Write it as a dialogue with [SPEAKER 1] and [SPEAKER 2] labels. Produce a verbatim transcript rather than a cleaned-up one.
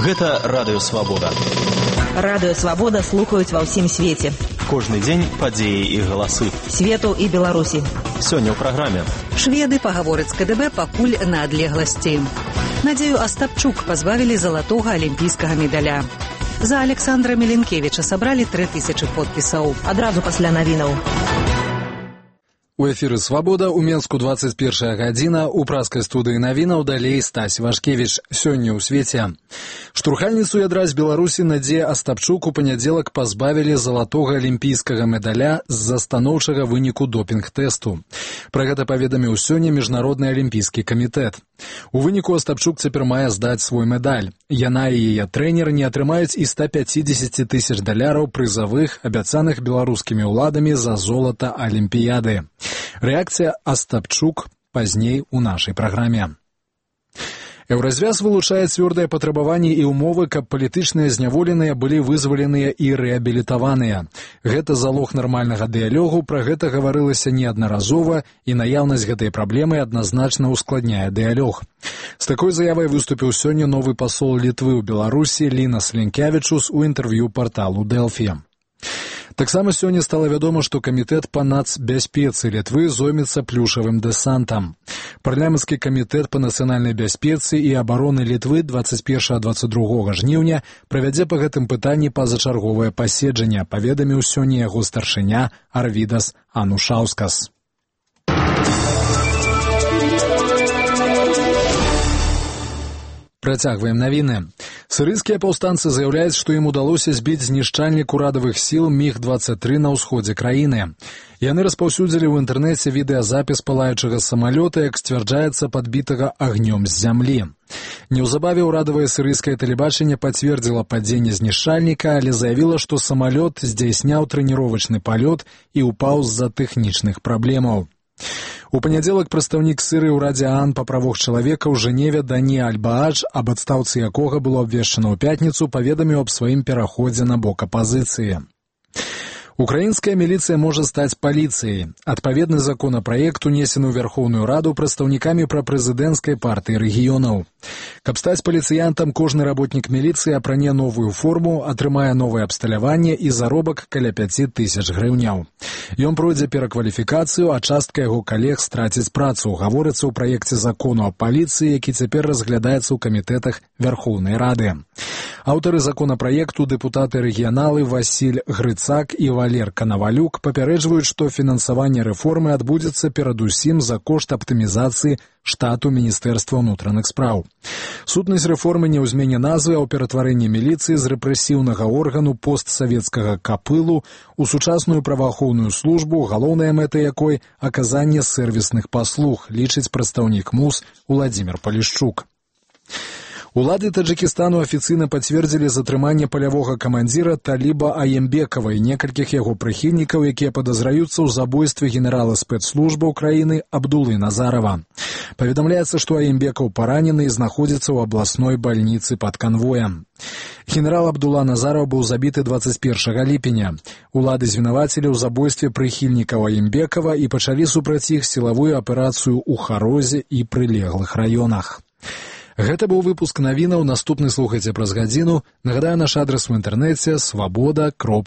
[SPEAKER 1] Гэта Радыё Свабода.
[SPEAKER 2] Радыё Свабода слухаюць ва ўсім свеце.
[SPEAKER 1] Кожны дзень падзеі і галасы.
[SPEAKER 2] Свету і Беларусі.
[SPEAKER 1] Сёння ў праграме.
[SPEAKER 3] Шведы пагавораць з КДБ пакуль на адлегласці. Надзею Астапчук пазбавілі залатога алімпійскага медаля. За Александра Меленкевіча сабралі тры тысячы подпісаў.
[SPEAKER 2] Адразу пасля навінаў.
[SPEAKER 4] У эфіры «Свабода» у Менску двадцать первая гадзіна, у праскай студыі навінаў далей Стась Вашкевіч. Сёння ў свеце. Штурхальніцу ядра з Беларусі Надзея Астапчук у панядзелак пазбавілі залатога алімпійскага медаля з-за станоўчага выніку допінг-тэсту. Пра гэта паведаміў сёння Міжнародны алімпійскі камітэт. У выніку Астапчук цяпер мае здаць свой медаль. Яна і яе трэнер не атрымаюць і ста пяцідзесяці тысяч даляраў прызавых, абяцаных беларускімі ўладамі за золата алімпіяды. Рэакцыя Астапчук пазней у нашай праграме. Еўразвяз вылучае цвёрдыя патрабаванні і ўмовы, каб палітычныя зняволеныя былі вызваленыя і рэабілітаваныя. Гэта залог нармальнага дыялогу, пра гэта гаварылася неаднаразова, і наяўнасць гэтай праблемы адназначна ускладняе дыялог. З такой заявай выступіў сёння новы пасол Літвы ў Беларусі Лінас Лінкявічус у інтэрв'ю парталу Дэлфі. Таксама сёння стала вядома, што камітэт па нацбяспецы Літвы зоймецца плюшавым дэсантам. Парламенtsкі камітэт па нацыянальнай бяспецы і абароны Літвы двадцать первого двадцать другого жніўня правядзе па гэтым пытанні пазачарговае паседжанне, паведаміў сёння яго старшыня Арвідас Анушаўскас. Працягваем навіны. Сірыйскія паўстанцы заяўляюць, што ім удалося збіць знішчальнік урадавых сіл міг двадцать тры на ўсходзе краіны. Яны распаўсюдзілі ў інтэрнэце відэазапіс палаючага самалёта, як сцвярджаецца, падбітага агнём з зямлі. Неўзабаве ўрадавае сірыйскае тэлебачанне пацвердзіла падзенне знішчальніка, але заявіла, што самалёт здзяйсняў трэніровачны палёт і ўпаў з-за тэхнічных праблемаў. У панядзелак прадстаўнік Сірыі ў Радзе ААН па правах чалавека ў Жэневе Дані Аль-Баадж, аб адстаўцы якога было абвешчана ў пятніцу, паведаміў аб сваім пераходзе на бок апазіцыі. Украінская міліцыя можа стаць паліцыяй. Адпаведны законапраект унесены ў Верхоўную Раду прадстаўнікамі прапрэзідэнцкай партыі рэгіёнаў. Каб стаць паліцыянтам, кожны работнік міліцыі апране новую форму, атрымае новае абсталяванне і заробак каля пяць тысяч грыўняў. Ён пройдзе перакваліфікацыю, а частка яго калег страціць працу, гаворыцца ў праекце закону аб паліцыі, які цяпер разглядаецца ў камітэтах Верхоўнай Рады. Аўтары законапраекту, дэпутаты-рэгіяналы Васіль Грыцак і Валер Канавалюк папярэджваюць, што фінансаванне рэформы адбудзецца перадусім за кошт аптымізацыі штату Міністэрства ўнутраных спраў. Сутнасць рэформы не ў змене назвы, а ў ператварэнні міліцыі з рэпрэсіўнага органу постсавецкага капылу у сучасную праваахоўную службу, галоўная мэта якой – аказанне сэрвісных паслуг, лічыць прадстаўнік МУС Уладзімір Палішчук. Улады Таджикистану афіцыйна пацвердзілі затрыманне палявога камандзіра Таліба Аембекава і некалькіх яго прыхільнікаў, якія падазраюцца ў забойстве генерала спецслужбаў краіны Абдулы Назарова. Паведамляецца, што Аембекаў паранены і знаходзіцца ў абласной бальніцы пад канвоем. Генерал Абдула Назаров быў забіты двадцать первого ліпеня. Улады звінавацілі ў забойстве прыхільнікаў Аембекава і пачалі супраць іх сілавую аперацыю ў Харозе і прылеглых раёнах. Гэта быў выпуск навінаў, наступны слухайце праз гадзіну. Нагадаю, наш адрас у інтэрнэце свабода кропка